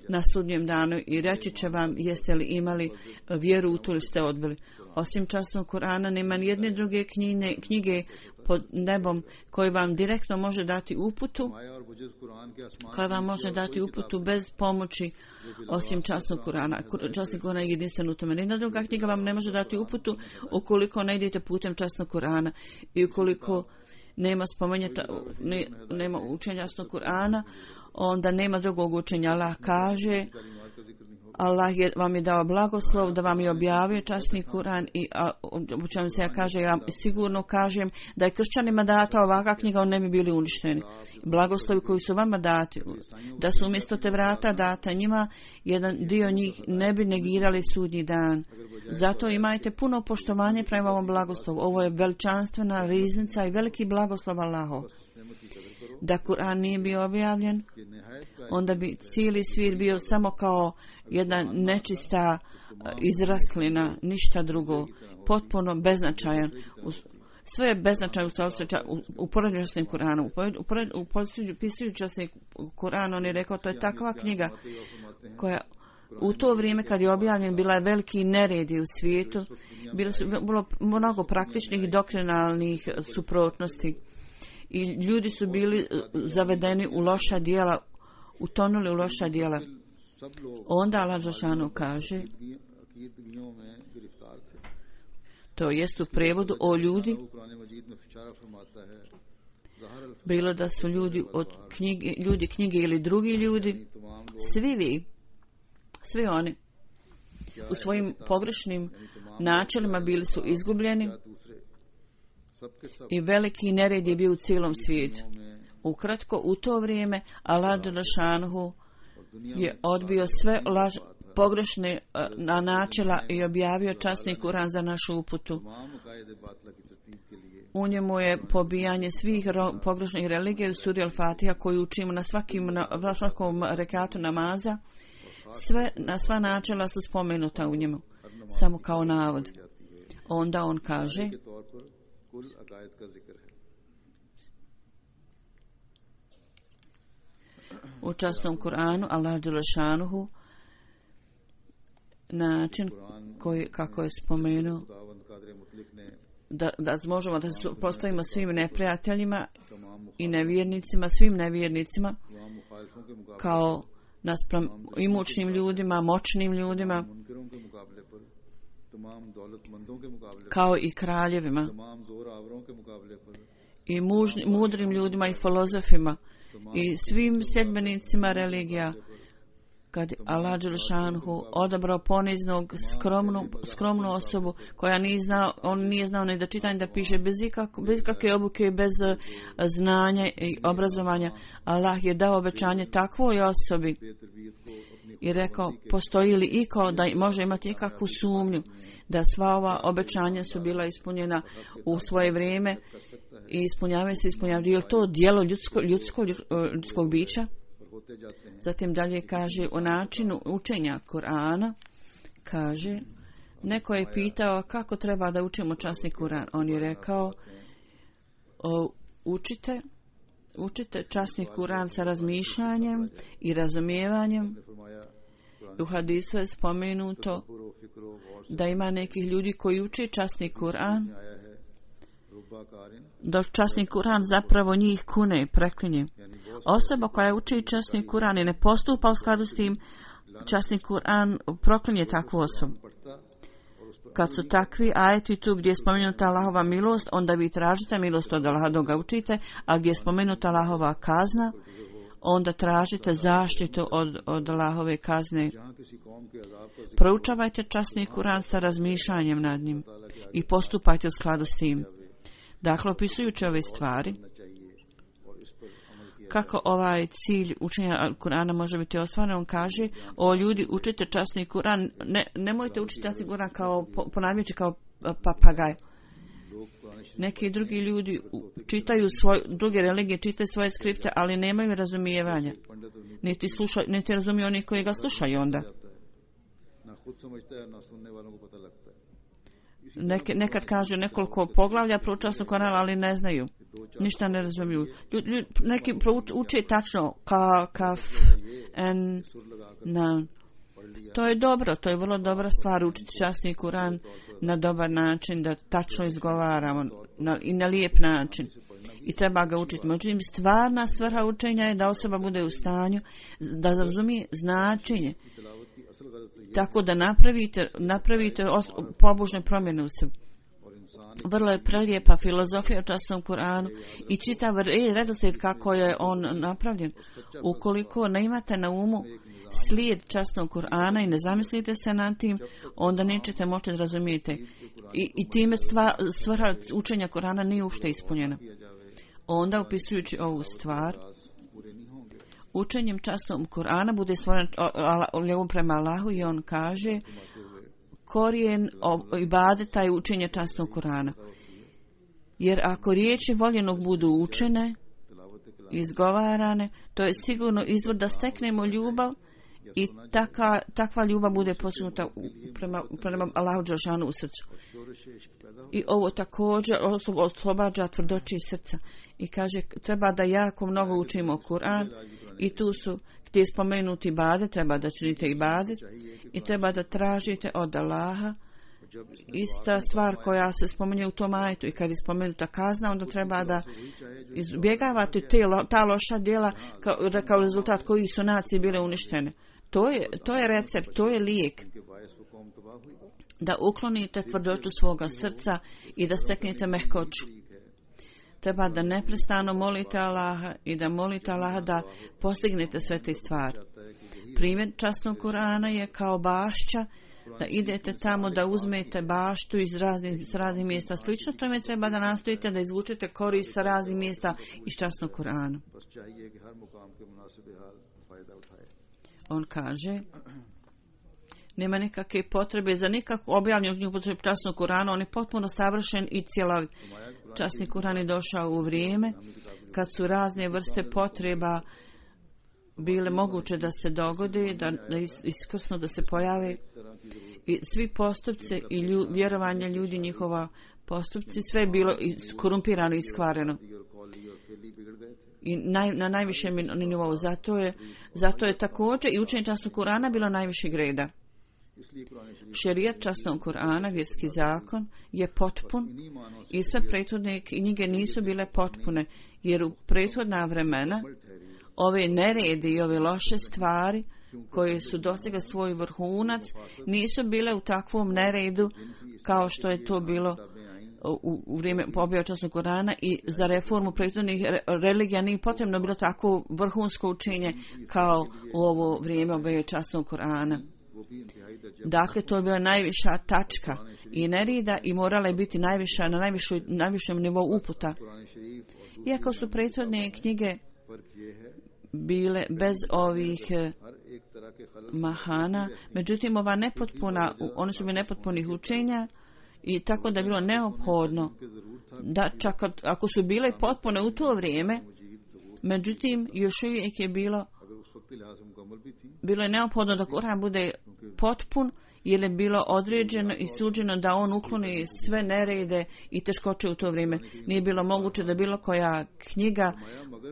na sudnjem danu i reći će vam jeste li imali vjeru u to ili ste odbili. Osim časnog Kurana nema nijedne druge knjige pod nebom koji vam direktno može dati uputu, koja vam može dati uputu bez pomoći osim časnog Kurana. Časni Kuran je jedinstven u tome. Nijedna druga knjiga vam ne može dati uputu ukoliko ne idete putem časnog Kurana i ukoliko nema nema učenja časnog Kurana, onda nema drugog učenja. Allah kaže, Allah vam je dao blagoslov da vam je objavio časni Kuran i učenom se ja kaže, ja sigurno kažem da je kršćanima data ovakva knjiga, on ne bi bili uništeni. Blagoslovi koji su vama dati, da su umjesto te vrata data njima, jedan dio njih ne bi negirali sudnji dan. Zato imajte puno poštovanje prema ovom blagoslovu. Ovo je veličanstvena riznica i veliki blagoslov Allahov. Da Kur'an nije bio objavljen, onda bi cijeli svijet bio samo kao jedna nečista izraslina, ništa drugo, potpuno beznačajan. Sve je beznačajno u poređenju s tim Kur'anom. Upisujući se Kur'an, on je rekao, to je takva knjiga koja u to vrijeme kad je objavljen bila je veliki neredi u svijetu, bilo mnogo praktičnih i doktrinalnih suprotnosti i ljudi su bili zavedeni u loša djela, utonuli u loša djela. Onda Allah dželešanu kaže, to jest u prevodu o ljudi, bilo da su ljudi od knjige ili drugi ljudi, svi oni u svojim pogrešnim načelima bili su izgubljeni i veliki nered je bio u cijelom svijetu. Ukratko, u to vrijeme Allah dželešanu je odbio sve pogrešne načela i objavio časni Kuran za našu uputu. U njemu je pobijanje svih pogrešnih religija u suri Al-Fatiha koju učimo na svakom rekatu namaza. Sva načela su spomenuta u njemu, samo kao navod. Onda on kaže, u časnom Kuranu Allah dželešanuhu način kako je spomenuo da možemo da se postavimo svim neprijateljima i nevjernicima, svim nevjernicima kao naspram imućnim ljudima, moćnim ljudima, kao i kraljevima i mudrim ljudima i filozofima i svim sljedbenicima religija. Kad Allah dželešanu odabrao poniznog, skromnu osobu koja nije znao ni da čita ni da piše, bez kakve obuke, bez znanja i obrazovanja, Allah je dao obećanje takvoj osobi i rekao, postoji li iko da može imati ikakvu sumnju da sva ova obećanja su bila ispunjena u svoje vrijeme i ispunjavaju. Je li to djelo ljudskog bića? Zatim dalje kaže o načinu učenja Kur'ana, kaže, neko je pitao kako treba da učimo časni Kur'an. On je rekao, učite časni Kur'an sa razmišljanjem i razumijevanjem U hadisu je spomenuto da ima nekih ljudi koji uče časni Kur'an, da časni Kur'an zapravo njih kune i preklinje. Osoba koja uči časni Kur'an i ne postupa u skladu s tim, časni Kur'an proklinje takvu osobu. Kad su takvi ajeti tu gdje je spomenuta Allahova milost, onda vi tražite milost od Allaha dok ga učite, a gdje je spomenuta Allahova kazna, onda tražite zaštitu od Allahove kazne. Proučavajte časni Kur'an sa razmišljanjem nad njim i postupajte u skladu s tim. Dakle, opisujući ove stvari, kako ovaj cilj učenja Kur'ana može biti ostvaren, on kaže: o ljudi, učite časni Kur'an, nemojte učiti časni Kur'an kao ponavljajući kao papagaj. Neki drugi ljudi čitaju druge religije, čitaju svoje skripte, ali nemaju razumijevanja. Niti razumiju oni koji ga slušaju onda. Nekad kaže nekoliko poglavlja proučasno Kur'ana, ali ne znaju. Ništa ne razumiju. Neki uče tačno kaf, en, na. To je dobro, to je vrlo dobra stvar učiti časni Kur'an na dobar način, da tačno izgovaramo i na lijep način. I treba ga učiti. Međutim, stvarna svrha učenja je da osoba bude u stanju da razumije značenje. Tako da napravite pobožne promjene u sebi. Vrlo je prelijepa filozofija o časnom Kur'anu i čitav redoslijed kako je on napravljen. Ukoliko ne imate na umu slijed časnog Kur'ana i ne zamislite se nad tim, onda nećete moći razumijeti. I time svrha učenja Kur'ana nije uopšte ispunjena. Onda, upisujući ovu stvar, učenjem časnog Kur'ana bude stvoren ljubav prema Allahu i on kaže: korijen ibadeta je učenje časnog Kur'ana. Jer ako riječi voljenog budu učene, izgovarane, to je sigurno izvor da steknemo ljubav i takva ljubav bude postignuta prema Allahu dželešanu u srcu. I ovo također oslobađa tvrdoći srca. I kaže, treba da jako mnogo učimo Kur'an i tu su gdje je spomenuti ibadet, treba da činite ibadet i treba da tražite od Allaha. Ista stvar koja se spominje u tom ajetu i kad je spomenuta kazna, onda treba da izbjegavate ta loša djela kao rezultat koji su nacije bile uništene. To je recept, to je lijek. Da uklonite tvrdoću svoga srca i da steknete mehkoću. Treba da neprestano molite Allaha i da molite Allaha da postignete sve te stvari. Primjer časnog Kur'ana je kao bašća, da idete tamo da uzmete baštu iz raznih mjesta. Slično tome treba da nastojite da izvučete korist sa raznih mjesta iz časnog Kur'ana. On kaže, nema nikakve potrebe za nikakvu objavljenu knjigu časnog Kur'ana, on je potpuno savršen i cijelovit. Časni Kur'an je došao u vrijeme kad su razne vrste potreba bile moguće da se dogode, da iskrsno da se pojave i svi postupci i vjerovanje ljudi, njihova postupci, sve je bilo korumpirano i iskvareno. I na najvišem nivou. Zato je također i učenje časnog Kur'ana bilo najvišeg reda. Šerijat časnog Kur'ana, vjerski zakon, je potpun i sve prethodne knjige nisu bile potpune, jer u prethodna vremena ove neredi i ove loše stvari koje su dostigle svoj vrhunac nisu bile u takvom neredu kao što je to bilo u vrijeme objave časnog Kur'ana i za reformu prethodnih religija nije potrebno bilo tako vrhunsko učenje kao u ovo vrijeme objave časnog Kur'ana. Dakle, to je bila najviša tačka i nerida i morala je biti najviša na najvišem nivou uputa. Iako su prethodne knjige bile bez ovih mahana, međutim ova nepotpuna, one su bile nepotpunih učenja i tako da je bilo neophodno da čak ako su bile potpune u to vrijeme, međutim još uvijek je bilo je neophodno da Kur'an bude potpun jer je bilo određeno i suđeno da on ukloni sve nerede i teškoće u to vrijeme. Nije bilo moguće da bilo koja knjiga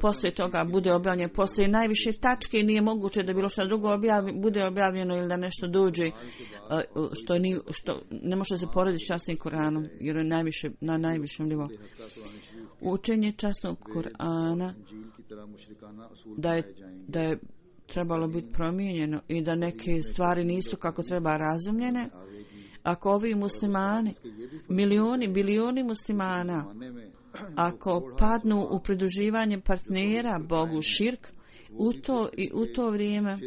poslije toga bude objavljena. Poslije najviše tačke nije moguće da bilo što drugo bude objavljeno ili da nešto dođe što ne može se porediti s časnim Koranom, jer je na najvišem nivou. Učenje časnog Korana da je trebalo biti promijenjeno i da neke stvari nisu kako treba razumljene. Ako ovi muslimani, bilioni muslimana, ako padnu u pridruživanje partnera Bogu širk, u to vrijeme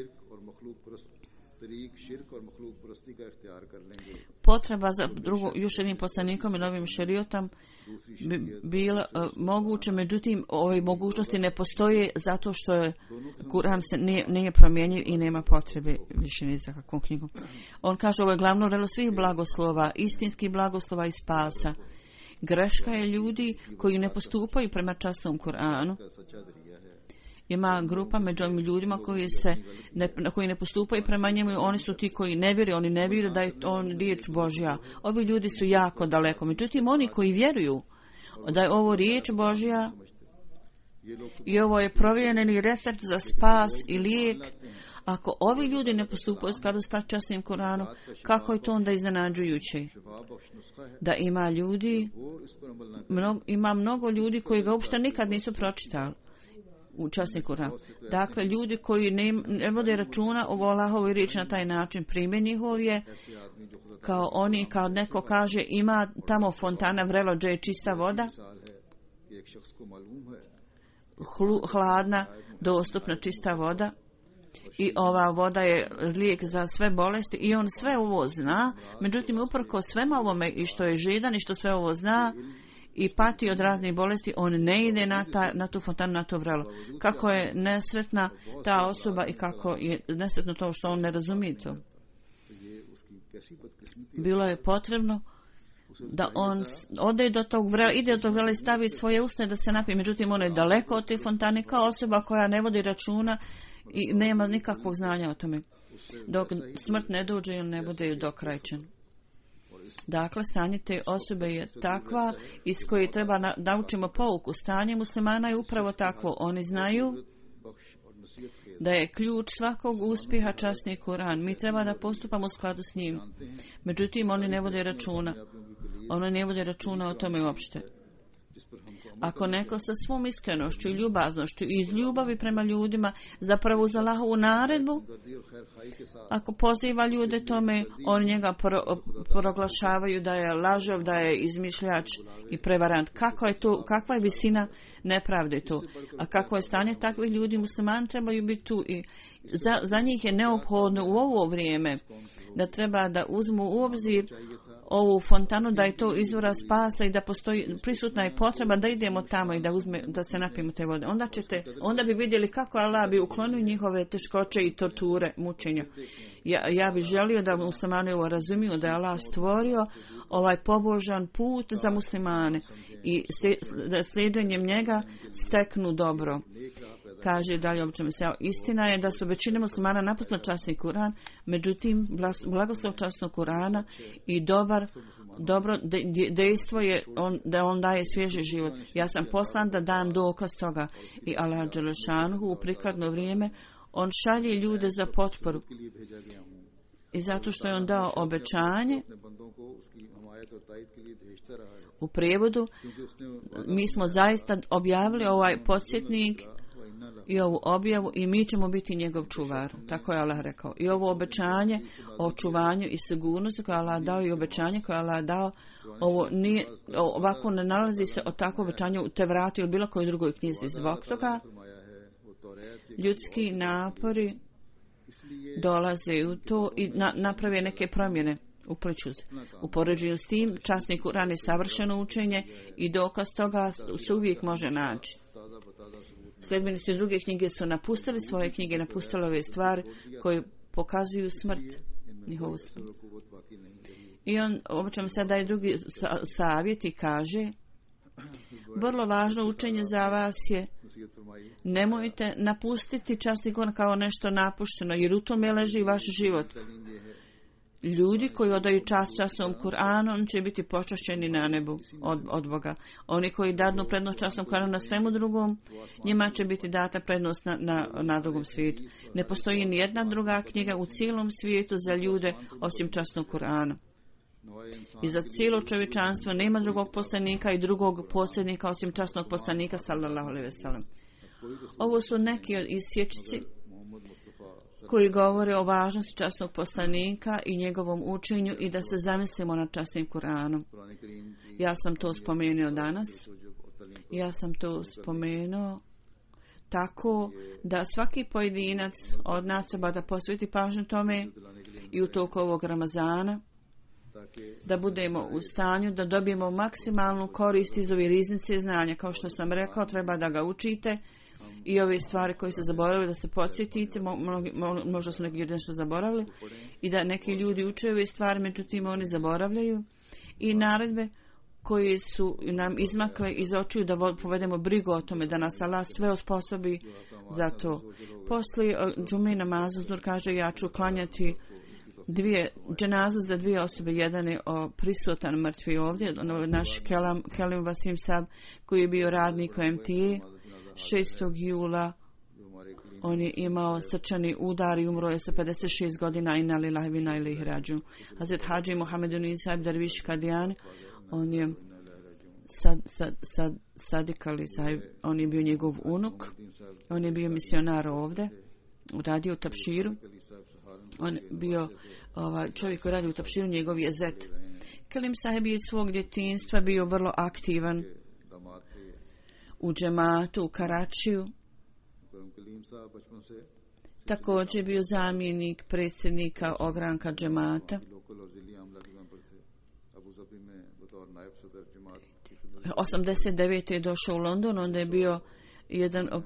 potreba za još jednim poslanikom i novim šerijatom bi bila moguće, međutim ove mogućnosti ne postoje zato što je Kur'an se nije promijenio i nema potrebe više ni za kakvom knjigom. On kaže ovo je glavno relo svih blagoslova, istinskih blagoslova i spasa. Greška je ljudi koji ne postupaju prema časnom Kur'anu. Ima grupa među ovim ljudima koji ne postupaju prema njemu, oni su ti koji ne vjeruju da je on riječ Božja. Ovi ljudi su jako daleko. Međutim, oni koji vjeruju da je ovo riječ Božja i ovo je provjereni recept za spas i lijek, ako ovi ljudi ne postupaju u skladu s časnim Koranom, kako je to onda iznenađujuće? Da ima mnogo ljudi koji ga uopšte nikad nisu pročitali u časni Koran. Dakle, ljudi koji ne vode računa o Allahovoj riječi na taj način, primjer njihov je kao neko kaže ima tamo fontana vrelo gdje je čista voda, hladna, dostupna čista voda i ova voda je lijek za sve bolesti i on sve ovo zna, međutim uprkos svema ovome i što je židan i što sve ovo zna i pati od raznih bolesti, on ne ide na tu fontanu, na to vrelo. Kako je nesretna ta osoba i kako je nesretno to što on ne razumije to. Bilo je potrebno da on ide do tog vrela i stavi svoje usne da se napije. Međutim, on je daleko od te fontane kao osoba koja ne vodi računa i nema nikakvog znanja o tome. Dok smrt ne dođe i on ne bude dokrajčen. Dakle, stanje te osobe je takva iz koje treba naučimo pouku. Stanje muslimana je upravo takvo. Oni znaju da je ključ svakog uspjeha časni Kur'an. Mi treba da postupamo u skladu s njim. Međutim, oni ne vode računa. Oni ne vode računa o tome uopšte. Ako neko sa svom iskrenošću i ljubaznošću i iz ljubavi prema ljudima zapravo uz Allahovu naredbu, ako poziva ljude tome, oni njega proglašavaju da je lažov, da je izmišljač i prevarant. Kakva je visina nepravde tu? A kako je stanje takvih ljudi, muslimani trebaju biti tu i za njih je neophodno u ovo vrijeme da treba da uzmu u obzir ovu fontanu, da je to izvora spasa i da postoji prisutna je potreba da idemo tamo i da se napijemo te vode. Onda bi vidjeli kako Allah bi uklonio njihove teškoće i torture, mučenja. Ja bih želio da muslimani ovo razumiju, da je Allah stvorio ovaj pobožan put za muslimane i da sljeđenjem njega steknu dobro. Kaže dalje običajno se, istina je da su većina muslimana napustili časni Kur'an, međutim blagoslov časnog Kur'ana i dobro dejstvo je da on daje svježi život. Ja sam poslan da dam dokaz toga i Allah dželešanuhu u prikladno vrijeme on šalje ljude za potporu i zato što je on dao obećanje. U prijevodu mi smo zaista objavili ovaj podsjetnik i ovu objavu i mi ćemo biti njegov čuvar. Tako je Allah rekao. I ovo obećanje o očuvanju i sigurnosti koje Allah dao i obećanje koje Allah dao, ovako ne nalazi se od takvo obećanje u Tevratu ili bilo kojoj drugoj knjizi. Zbog toga ljudski napori dolaze u to i naprave neke promjene. Upliču se. U poređenju s tim, časni Kur'an je savršeno učenje i dokaz toga se uvijek može naći. Sljedbenici druge knjige su napustili svoje knjige, napustili ove stvari koje pokazuju smrt, njihovu smrt. I on obično sad daje drugi savjet i kaže, vrlo važno učenje za vas je, nemojte napustiti časni Kur'an kao nešto napušteno, jer u tome leži vaš život. ljudi koji odaju čast časnom Kur'anu, on će biti počašćeni na nebu od Boga. Oni koji dadnu prednost časnom Kur'anu na svemu drugom, njima će biti data prednost na drugom svijetu. Ne postoji ni jedna druga knjiga u cijelom svijetu za ljude osim časnog Kur'ana. I za cijelo čovječanstvo nema drugog poslanika i drugog posljednika osim časnog poslanika sallallahu alejhi ve sellem. Ovo su neki isječci koji govore o važnosti časnog poslanika i njegovom učenju i da se zamislimo nad časnim Kur'anom. Ja sam to spomenuo danas. Ja sam to spomenuo tako da svaki pojedinac od nas treba da posveti pažnju tome i u toku ovog Ramazana da budemo u stanju da dobijemo maksimalnu korist iz ove riznice znanja. Kao što sam rekao, treba da ga učite i ove stvari koje ste zaboravili da se podsjetite, možda su neki ljudi nešto zaboravili, i da neki ljudi uče ove stvari, međutim oni zaboravljaju, i naredbe koje su nam izmakle iz očiju da povedemo brigu o tome, da nas Allah sve osposobi za to. Poslije džume namaza Zur kaže, ja ću klanjati dženazu za dvije osobe. Jedan je prisutan mrtvi ovdje, naš Kelim Vasim Sab, koji je bio radnik u MTA. 6. jula on je imao srčani udar i umro je sa 56 godina. Inna lillahi wa inna ilaihi rađiun. Hazret Hadži Muhammeduddin Sahib Darviš Kadian, on je Sadik Ali Sahib, on je bio njegov unuk, on je bio misionar ovdje, radio u Tapširu. On je bio čovjek koji radi u Tapširu, njegov je zet. Kelim Sahib je svog djetinjstva bio vrlo aktivan u džematu, u Karačiju. Također je bio zamjenik predsjednika ogranka džemata. 89. je došao u London, onda je bio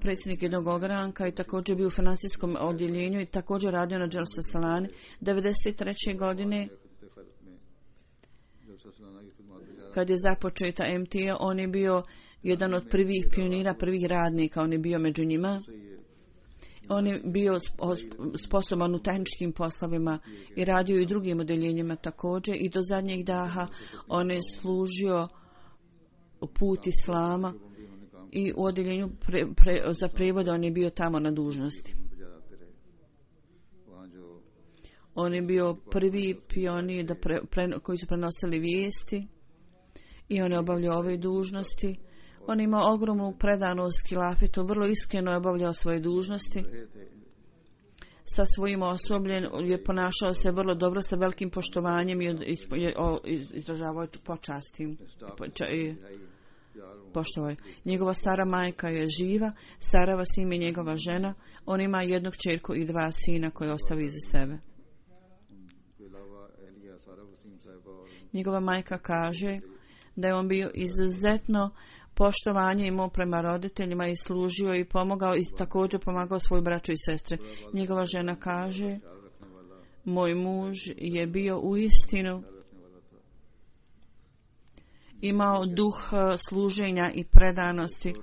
predsjednik jednog ogranka i također bio u financijskom odjeljenju i također radio na Jalsa Salani. 93. godine kad je započeta MTA, on je bio jedan od prvih pionira, prvih radnika, on je bio među njima. On je bio sposoban u tehničkim poslovima i radio i drugim odjeljenjima također, i do zadnjeg daha on je služio put Islama i u odjeljenju za prevod on je bio tamo na dužnosti. On je bio prvi pionir koji su prenosili vijesti i on je obavljao ove dužnosti. On je imao ogromnu predanost hilafetu, vrlo iskreno je obavljao svoje dužnosti. Sa svojim osobljem je ponašao se vrlo dobro, sa velikim poštovanjem i izražavao počasti. Poštovao. Njegova stara majka je živa, Sara Vasim je njegova žena. On ima jednu kćerku i dva sina koje ostavi iza sebe. Njegova majka kaže da je on bio izuzetno poštovanje imao prema roditeljima i služio i pomogao i također pomagao svoju braću i sestre. Njegova žena kaže, moj muž je bio uistinu imao duh služenja i predanosti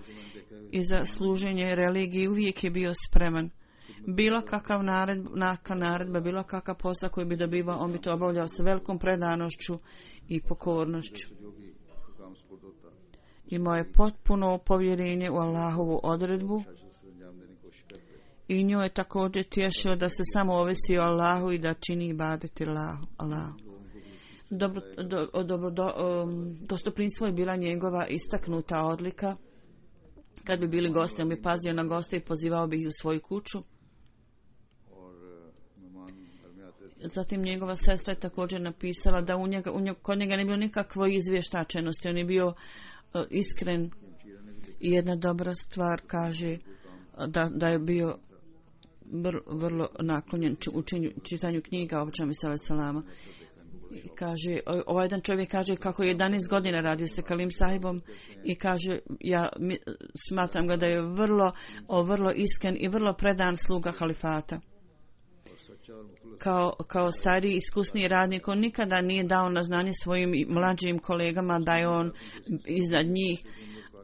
i za služenje religiji uvijek je bio spreman. Bilo kakav naredba, bilo kakav posao koji bi dobivao, on bi to obavljao sa velikom predanošću i pokornošću. Imao je potpuno povjerenje u Allahovu odredbu i nju je također tješio da se samo ovisi o Allahu i da čini ibadeti Allahu. Gostoprinstvo je bila njegova istaknuta odlika. Kad bi bili gosti, on bi pazio na goste i pozivao bi ih u svoju kuću. Zatim njegova sestra je također napisala da kod njega ne bilo nikakvo izvještačenosti. On je bio iskren i jedna dobra stvar kaže da je bio vrlo naklonjen čitanju knjiga o čemu salama. Kaže, ovaj jedan čovjek kaže kako je 11 godina radio sa Kalim Sahibom i kaže, ja smatram ga da je vrlo iskren i vrlo predan sluga halifata. Kao stariji iskusniji radnik, on nikada nije dao na znanje svojim mlađim kolegama da je on iznad njih.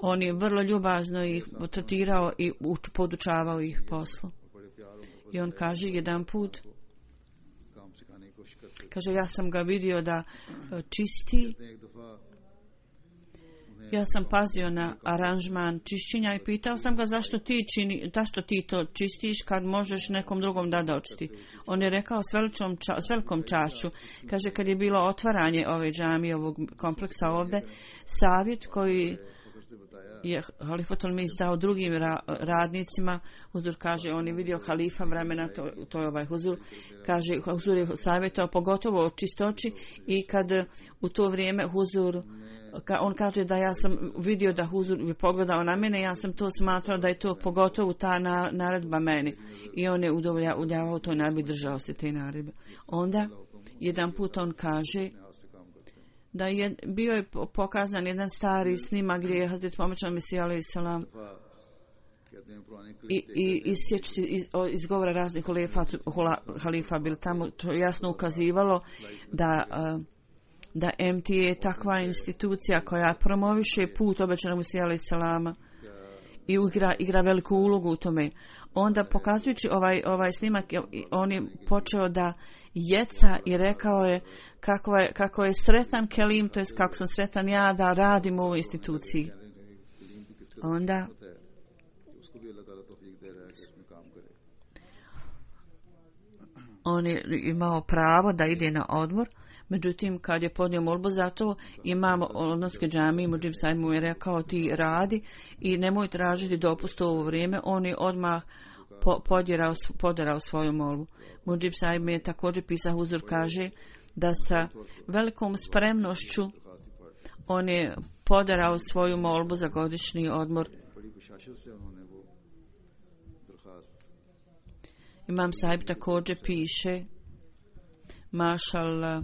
On je vrlo ljubazno ih tretirao i podučavao ih poslu. I on kaže jedan put, Kaže, ja sam ga vidio da čisti. Ja sam pazio na aranžman čišćenja i pitao sam ga zašto ti to čistiš kad možeš nekom drugom da očisti. On je rekao s velikom čašću. Kaže, kad je bilo otvaranje ove džamije, ovog kompleksa ovdje, savjet koji je Halifatul Mis dao drugim radnicima, Huzur kaže, on je vidio halifa vremena, to je ovaj Huzur, kaže, Huzur je savjetao pogotovo o čistoći i kad u to vrijeme Huzur, on kaže da ja sam vidio da Huzur je pogledao na mene, ja sam to smatrao da je to pogotovo ta naredba meni i on je udovoljavao toj naredbi, držao se te naredbe. Onda jedan put on kaže da je bio pokazan jedan stari snimak gdje je Hazret Muhammed Mesija alejhi selam i iz govora raznih halifa bil tamo, to jasno ukazivalo da MTA je takva institucija koja promoviše put obećanog Mesija alejhi selama i igra veliku ulogu u tome. Onda pokazujući ovaj snimak, on je počeo da jeca i rekao je kako je sretan Kelim, to jest kako sam sretan ja da radim u ovoj instituciji. Onda on je imao pravo da ide na odmor, međutim kad je podnio molbu za to, imam odnoske džamije, Mudžib Saib mu je rekao ti radi i nemoj tražiti dopust u ovo vrijeme. On je odmah poderao svoju molbu. Mudžib Saib mi je također pisao, Huzur kaže da sa velikom spremnošću on je poderao svoju molbu za godišnji odmor. Imam Saib također piše, mašallah,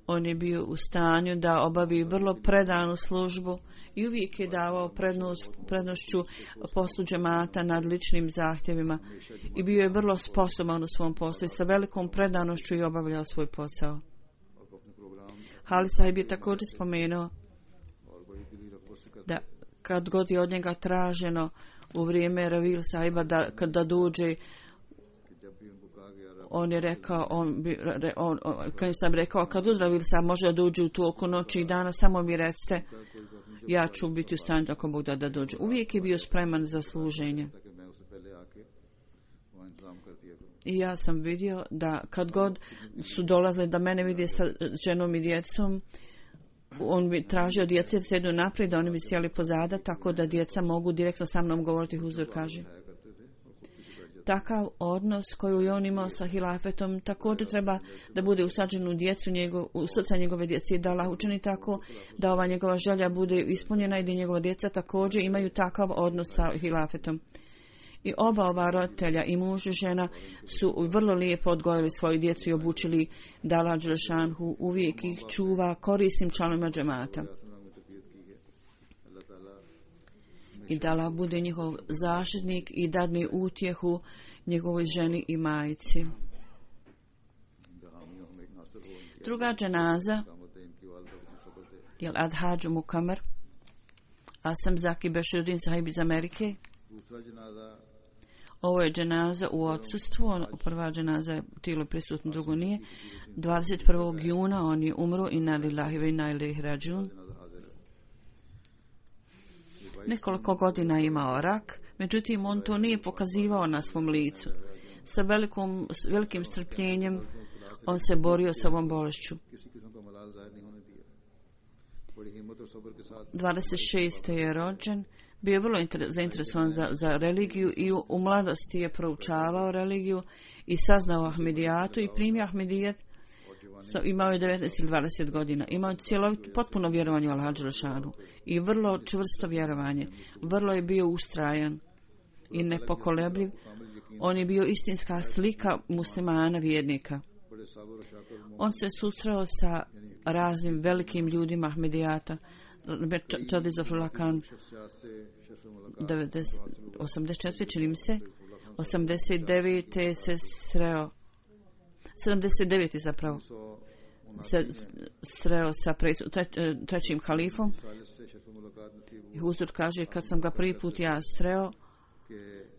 on je bio u stanju da obavi vrlo predanu službu i uvijek je davao prednošću poslu džemata nad ličnim zahtjevima i bio je vrlo sposoban u svom poslu i sa velikom predanošću i obavljao svoj posao. Hali Sahib je također spomenuo da kad god je od njega traženo u vrijeme Ravil Sahiba da dođe, on je rekao, kad sam rekao, kad Ravil Sahib može da dođe u toku noći i dana, samo mi recite, ja ću biti u stanju ako Bog da dođe. Uvijek je bio spreman za služenje. I ja sam vidio da kad god su dolazili da mene vidi sa ženom i djecom, on bi tražio djece da sjedu naprijed, da oni bi sjeli pozada, tako da djeca mogu direktno sa mnom govoriti, Huzur kaže. Takav odnos koji je on imao sa hilafetom također treba da bude usađen u djecu, u srca njegove djece, da Allah učini tako da ova njegova želja bude ispunjena i da njegova djeca također imaju takav odnos sa hilafetom. I ova roditelja, i muž i žena, su vrlo lijepo odgojili svoju djecu i obučili da Allah dželešanhu uvijek ih čuva korisnim članovima džemata. I da Allah bude njihov zaštitnik i dadne utjehu njegovoj ženi i majici. Druga dženaza je Adhađu Mukamer, Asam Zaki Beširuddin Sahib iz Amerike. Ovo je dženaza u odsustvu, prva dženaza je tijelo prisutno, drugo nije. 21. juna on je umro, inna lillahi wa inna ilaihi rađun. Nekoliko godina imao rak, međutim on to nije pokazivao na svom licu. Sa velikim strpljenjem on se borio s ovom bolešću. 26. je rođen, bio je vrlo zainteresovan za religiju i u mladosti je proučavao religiju i saznao Ahmedijatu i primio Ahmedijet. Imao je 19 ili 20 godina. Imao je potpuno vjerovanje u Allaha dželešanu i vrlo čvrsto vjerovanje. Vrlo je bio ustrajan i nepokolebljiv. On je bio istinska slika muslimana vjernika. On se susreo sa raznim velikim ljudima Ahmedijata. Čadizafrullah Khan 84, čini mi se, 89. se sreo, 79. zapravo, se sreo sa trećim halifom. I Huzur kaže, kad sam ga prvi put ja sreo,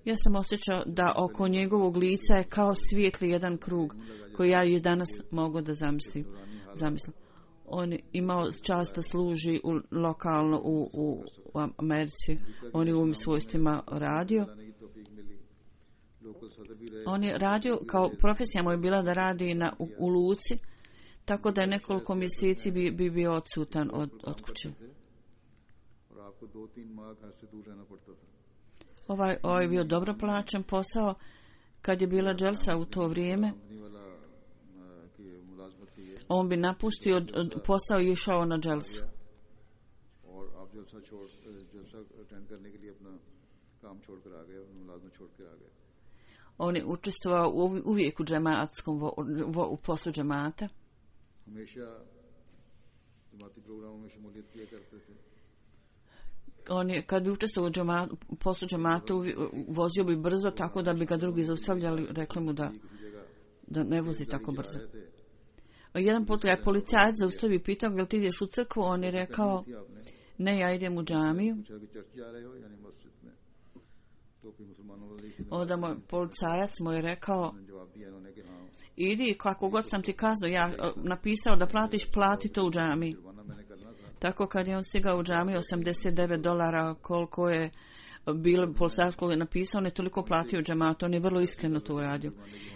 Ja sam osjećao da oko njegovog lica je kao svijetli jedan krug koji ja i danas mogu da zamislim. On je imao čast da služi lokalno u Americi. On je u ovim svojstvima radio. On je radio, kao profesija mu je bila da radi u luci, tako da je nekoliko mjeseci bi bio odsutan od kuće. Ovaj je bio dobro plaćen posao. Kad je bila dželsa u to vrijeme, on bi napustio posao i išao na dželsu. On je učestvovao uvijek u džematskom u poslu džemata. On je, kad bi učestvovao u poslu džemata, vozio bi brzo, tako da bi ga drugi zaustavljali, rekli mu da ne vozi tako brzo. Jedan put je policajac zaustavio i pitao, jel ti ideš u crkvu? On je rekao, ne, ja idem u džamiju. Onda moj policajac mu je rekao, idi, kako god sam ti kazao, ja napisao da platiš, plati to u džamiji. Tako kad je on stigao u džamiju, $89, koliko je bilo policajac koji je napisao, on je toliko platio džematu, on je vrlo iskreno to uradio.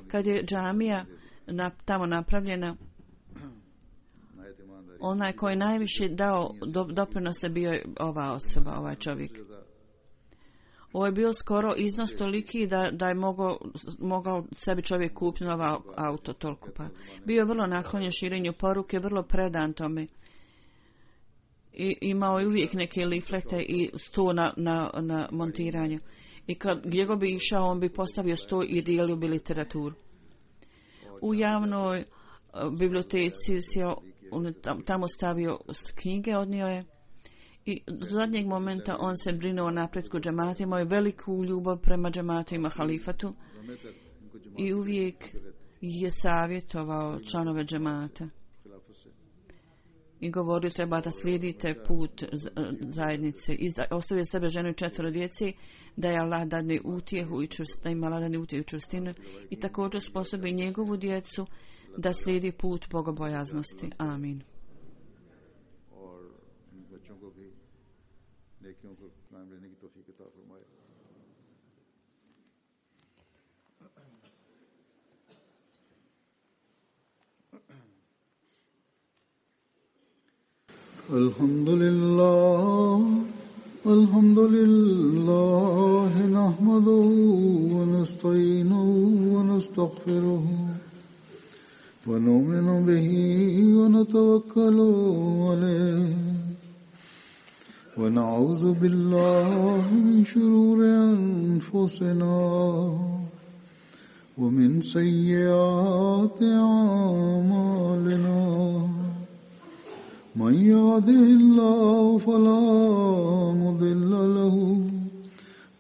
Kad je džamija tamo napravljena, onaj koji je najviše dao doprinose bio je ova osoba, ovaj čovjek. Ovo je bio skoro iznos toliki da je mogao sebi čovjek kupiti novo auto, toliko pa. Bio je vrlo naklonjen širenju poruke, vrlo predan tome. I imao je uvijek neke liflete i sto na montiranju. I gdje go bi išao, on bi postavio sto i dijelio bi literaturu. U javnoj biblioteci on tamo stavio knjige, odnio je. I do zadnjeg momenta on se brinuo o napretku džemata, imao je veliku ljubav prema džematima halifatu i uvijek je savjetovao članove džemata. I govorio, treba da slijedite put zajednice. Ostavio sebe ženu i 4 djece, da je Allah dadne utjehu i da ima Allah dadne utjehu i čvrstinu i također sposobi njegovu djecu da slijedi put bogobojaznosti. Amin. Alhamdulillah nahmaduhu wa nasta'inuhu wa nastaghfiruhu wa nu'minu bihi wa natawakkalu alayhi wa na'udhu billahi min shururi anfusina wa min sayyiati a'malina. من يهده الله فلا مضل له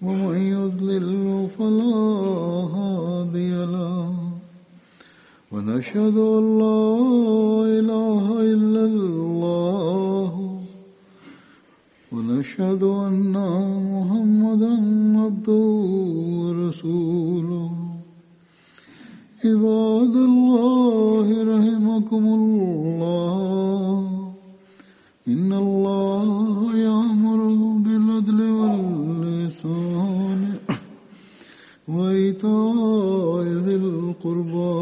ومن يضلل فلا هادي له ونشهد أن لا إله إلا الله ونشهد أن محمدا عبده ورسوله عباد الله رحمكم الله إن الله يأمر بالعدل والإحسان وإيتاء ذي القربى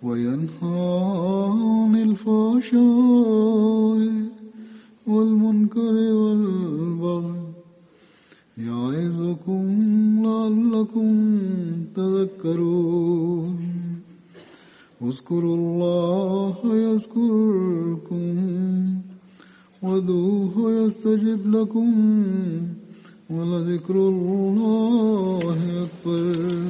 وينهى عن الفحشاء والمنكر والبغي يعظكم لعلكم تذكرون اذكروا الله يذكركم وادعوه يستجب لكم ولذكر الله أكبر.